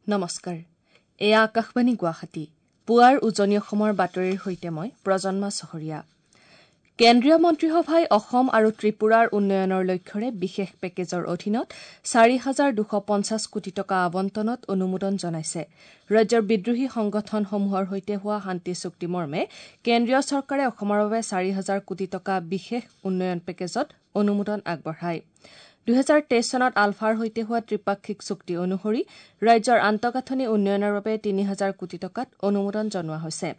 নমস্কাৰ, এয়া আকাশবাণী গুৱাহাটী। পুৱাৰ উজনি অসমৰ বাতৰিৰ সৈতে মই প্ৰজন্মা চহৰীয়া। কেন্দ্ৰীয় মন্ত্ৰীসভাই অসম আৰু ত্ৰিপুৰাৰ উন্নয়নৰ লক্ষ্যৰে বিশেষ পেকেজৰ অধীনত ৪,২৫০ কোটি টকা আবণ্টনত অনুমোদন জনাইছে। ৰাজ্যৰ বিদ্ৰোহী সংগঠনসমূহৰ সৈতে হোৱা শান্তি চুক্তি মৰ্মে কেন্দ্ৰীয় চৰকাৰে অসমৰ বাবে ৪,০০০ কোটি টকা বিশেষ উন্নয়ন পেকেজত অনুমোদন আগবঢ়ায়। ২০২৩ চনত আলফাৰ সৈতে হোৱা ত্ৰিপাক্ষিক চুক্তি অনুসৰি ৰাজ্যৰ আন্তঃগাঁথনি উন্নয়নৰ বাবে ৩,০০০ কোটি টকাত অনুমোদন জনোৱা হৈছে।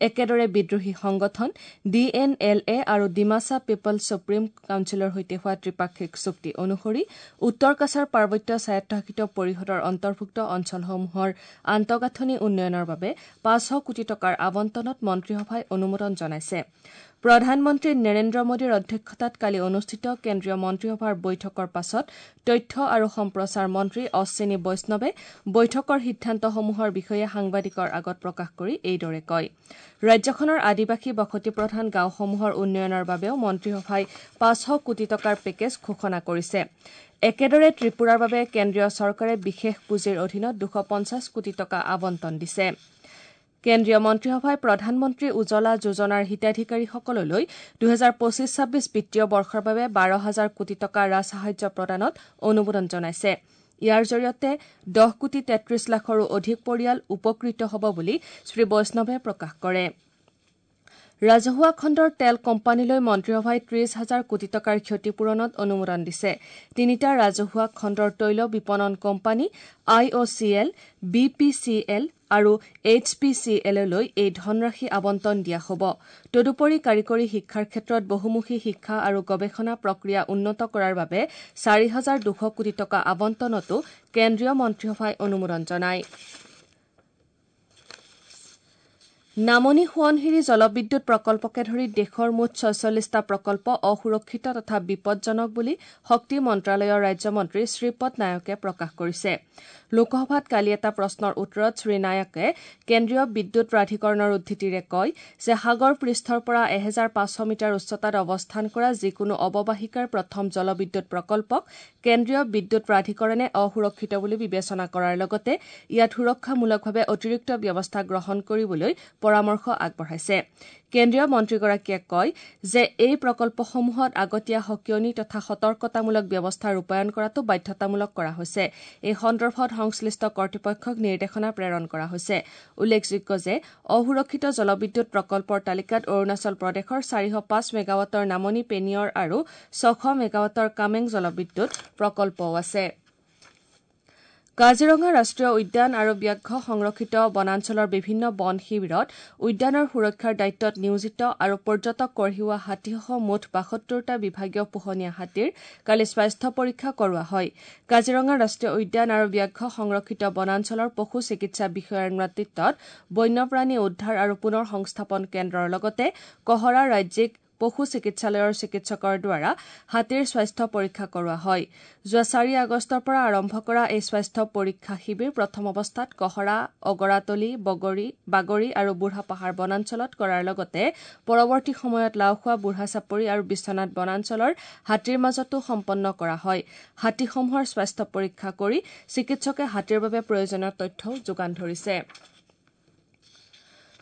একেদৰে বিদ্ৰোহী সংগঠন ডি এন এল এ আৰু ডিমাছা পিপলছ ছুপ্ৰিম কাউন্সিলৰ সৈতে হোৱা ত্ৰিপাক্ষিক চুক্তি অনুসৰি উত্তৰ কাছাৰ পাৰ্বত্য স্বায়ত্তশাসিত পৰিষদৰ অন্তৰ্ভুক্ত অঞ্চলসমূহৰ আন্তঃগাঁথনি উন্নয়নৰ বাবে ৫০০ কোটি টকাৰ আবণ্টনত মন্ত্ৰীসভাই অনুমোদন জনাইছে। প্ৰধানমন্ত্ৰী নৰেন্দ্ৰ মোদীৰ অধ্যক্ষতাত কালি অনুষ্ঠিত কেন্দ্ৰীয় মন্ত্ৰীসভাৰ বৈঠকৰ পাছত তথ্য আৰু সম্প্ৰচাৰ মন্ত্ৰী অশ্বিনী বৈষ্ণৱে বৈঠকৰ সিদ্ধান্তসমূহৰ বিষয়ে সাংবাদিকৰ আগত প্ৰকাশ কৰি এইদৰে কয়। ৰাজ্যখনৰ আদিবাসী বসতিপ্ৰধান গাঁওসমূহৰ উন্নয়নৰ বাবেও মন্ত্ৰীসভাই ৫০০ কোটি টকাৰ পেকেজ ঘোষণা কৰিছে। একেদৰে ত্ৰিপুৰাৰ বাবে কেন্দ্ৰীয় চৰকাৰে বিশেষ পুঁজিৰ অধীনত ২৫০ কোটি টকা আবণ্টন দিছে। কেন্দ্ৰীয় মন্ত্ৰীসভাই প্ৰধানমন্ত্ৰী উজ্বলা যোজনাৰ হিতাধিকাৰীসকললৈ ২০২৫-২৬ বিত্তীয় বৰ্ষৰ বাবে ১২,০০০ কোটি টকা ৰাজসাহায্য প্ৰদানত অনুমোদন জনাইছে। ইয়াৰ জৰিয়তে ১০ কোটি ৩৩ লাখৰো অধিক পৰিয়াল উপকৃত হ'ব বুলি শ্ৰী বৈষ্ণৱে প্ৰকাশ কৰে। ৰাজহুৱা খণ্ডৰ তেল কোম্পানীলৈ মন্ত্ৰীসভাই ৩০ হাজাৰ কোটি টকাৰ ক্ষতিপূৰণত অনুমোদন দিছে। তিনিটা ৰাজহুৱা খণ্ডৰ তৈল বিপণন company I O' C L, B P C L আৰু এইচ পি চি এললৈ এই ধনৰাশি আবণ্টন দিয়া হ'ব। তদুপৰি কাৰিকৰী শিক্ষাৰ ক্ষেত্ৰত বহুমুখী শিক্ষা আৰু গৱেষণা প্ৰক্ৰিয়া উন্নত কৰাৰ বাবে ৪,২০০ কোটি টকা আবণ্টনতো কেন্দ্ৰীয় মন্ত্ৰীসভাই অনুমোদন জনায়। নামনি সোৱণশিৰি জলবিদ্যুৎ প্ৰকল্পকে ধৰি দেশৰ মুঠ ৪৬টা প্ৰকল্প অসুৰক্ষিত তথা বিপদজনক বুলি শক্তি মন্ত্ৰালয়ৰ ৰাজ্যমন্ত্ৰী শ্ৰীপদ নায়কে প্ৰকাশ কৰিছে। লোকসভাত কালি এটা প্ৰশ্নৰ উত্তৰত শ্ৰীনায়কে কেন্দ্ৰীয় বিদ্যুৎ প্ৰাধিকৰণৰ উদ্ধৃতিৰে কয় যে সাগৰ পৃষ্ঠৰ পৰা ১৫০০ মিটাৰ উচ্চতাত অৱস্থান কৰা যিকোনো অৱবাহিকাৰ প্ৰথম জলবিদ্যুৎ প্ৰকল্পক কেন্দ্ৰীয় বিদ্যুৎ প্ৰাধিকৰণে অসুৰক্ষিত বুলি বিবেচনা কৰাৰ লগতে ইয়াত সুৰক্ষামূলকভাৱে অতিৰিক্ত ব্যৱস্থা গ্ৰহণ কৰিবলৈ পৰামৰ্শ আগবঢ়াইছে। কেন্দ্ৰীয় মন্ত্ৰীগৰাকীয়ে কয় যে এই প্ৰকল্পসমূহত আগতীয়া সকিয়নী তথা সতৰ্কতামূলক ব্যৱস্থা ৰূপায়ণ কৰাটো বাধ্যতামূলক কৰা হৈছে। এই সন্দৰ্ভত সংশ্লিষ্ট কৰ্তৃপক্ষক নিৰ্দেশনা প্ৰেৰণ কৰা হৈছে। উল্লেখযোগ্য যে অসুৰক্ষিত জলবিদ্যুৎ প্ৰকল্পৰ তালিকাত অৰুণাচল প্ৰদেশৰ ৪০৫ মেগাৱাটৰ নামনি পেনিয়ৰ আৰু ৬০০ মেগাৱাটৰ কামেং জলবিদ্যুৎ প্ৰকল্পও আছে। কাজিৰঙা ৰাষ্ট্ৰীয় উদ্যান আৰু ব্যাঘ্ৰ সংৰক্ষিত বনাঞ্চলৰ বিভিন্ন বন শিবিৰত উদ্যানৰ সুৰক্ষাৰ দায়িত্বত নিয়োজিত আৰু পৰ্যটক কঢ়িওৱা হাতীসহ মুঠ ৭২টা বিভাগীয় পোহনীয়া হাতীৰ কালি স্বাস্থ্য পৰীক্ষা কৰোৱা হয়। কাজিৰঙা ৰাষ্ট্ৰীয় উদ্যান আৰু ব্যাঘ্ৰ সংৰক্ষিত বনাঞ্চলৰ পশু চিকিৎসা বিষয়াৰ নেতৃত্বত বন্যপ্ৰাণী উদ্ধাৰ আৰু পুনৰ সংস্থাপন কেন্দ্ৰৰ লগতে কহৰা ৰাজ্যিক পশু চিকিৎসালয়ৰ চিকিৎসকৰ দ্বাৰা হাতীৰ স্বাস্থ্য পৰীক্ষা কৰোৱা হয়। যোৱা ৪ আগষ্টৰ পৰা আৰম্ভ কৰা এই স্বাস্থ্য পৰীক্ষা শিবিৰ প্ৰথম অৱস্থাত কহৰা, অগৰাতলী, বাগৰি আৰু বুঢ়াপাহাৰ বনাঞ্চলত কৰাৰ লগতে পৰৱৰ্তী সময়ত লাওখোৱা, বুঢ়াচাপৰি আৰু বিশ্বনাথ বনাঞ্চলৰ হাতীৰ মাজতো সম্পন্ন কৰা হয়। হাতীসমূহৰ স্বাস্থ্য পৰীক্ষা কৰি চিকিৎসকে হাতীৰ বাবে প্ৰয়োজনীয় তথ্যও যোগান ধৰিছে।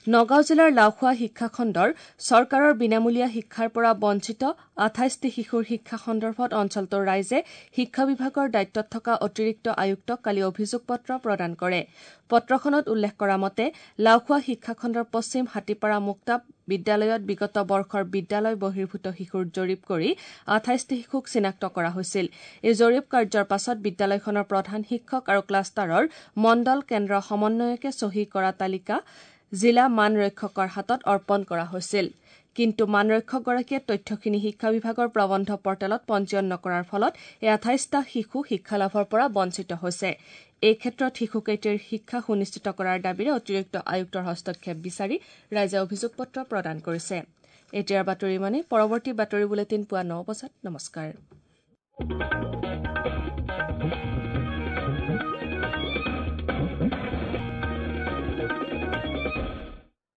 নগাঁও জিলাৰ লাওখোৱা শিক্ষাখণ্ডৰ চৰকাৰৰ বিনামূলীয়া শিক্ষাৰ পৰা বঞ্চিত ২৮টি শিশুৰ শিক্ষা সন্দৰ্ভত অঞ্চলটোৰ ৰাইজে শিক্ষা বিভাগৰ দায়িত্বত থকা অতিৰিক্ত আয়ুক্তক কালি অভিযোগ পত্ৰ প্ৰদান কৰে। পত্ৰখনত উল্লেখ কৰা মতে লাওখোৱা শিক্ষাখণ্ডৰ পশ্চিম হাতীপাৰা মুক্তাব বিদ্যালয়ত বিগত বৰ্ষৰ বিদ্যালয় বহিৰ্ভূত শিশুৰ জৰীপ কৰি ২৮টি শিশুক চিনাক্ত কৰা হৈছিল। এই জৰীপ কাৰ্যৰ পাছত বিদ্যালয়খনৰ প্ৰধান শিক্ষক আৰু ক্লাষ্টাৰৰ মণ্ডল কেন্দ্ৰ সমন্বয়কে চহী কৰা তালিকা জিলা মান ৰক্ষকৰ হাতত অৰ্পণ কৰা হৈছিল। কিন্তু মানৰক্ষকগৰাকীয়ে তথ্যখিনি শিক্ষা বিভাগৰ প্ৰবন্ধ পৰ্টেলত পঞ্জীয়ন নকৰাৰ ফলত এই ২৮টা শিশু শিক্ষালাভৰ পৰা বঞ্চিত হৈছে। এই ক্ষেত্ৰত শিশুকেইটিৰ শিক্ষা সুনিশ্চিত কৰাৰ দাবীৰে অতিৰিক্ত আয়ুক্তৰ হস্তক্ষেপ বিচাৰি ৰাইজে অভিযোগ পত্ৰ প্ৰদান কৰিছে। এতিয়াৰ বাতৰি ইমানেই। পৰৱৰ্তী বাতৰি বুলেটিন পুৱা ৯ বজাত। নমস্কাৰ।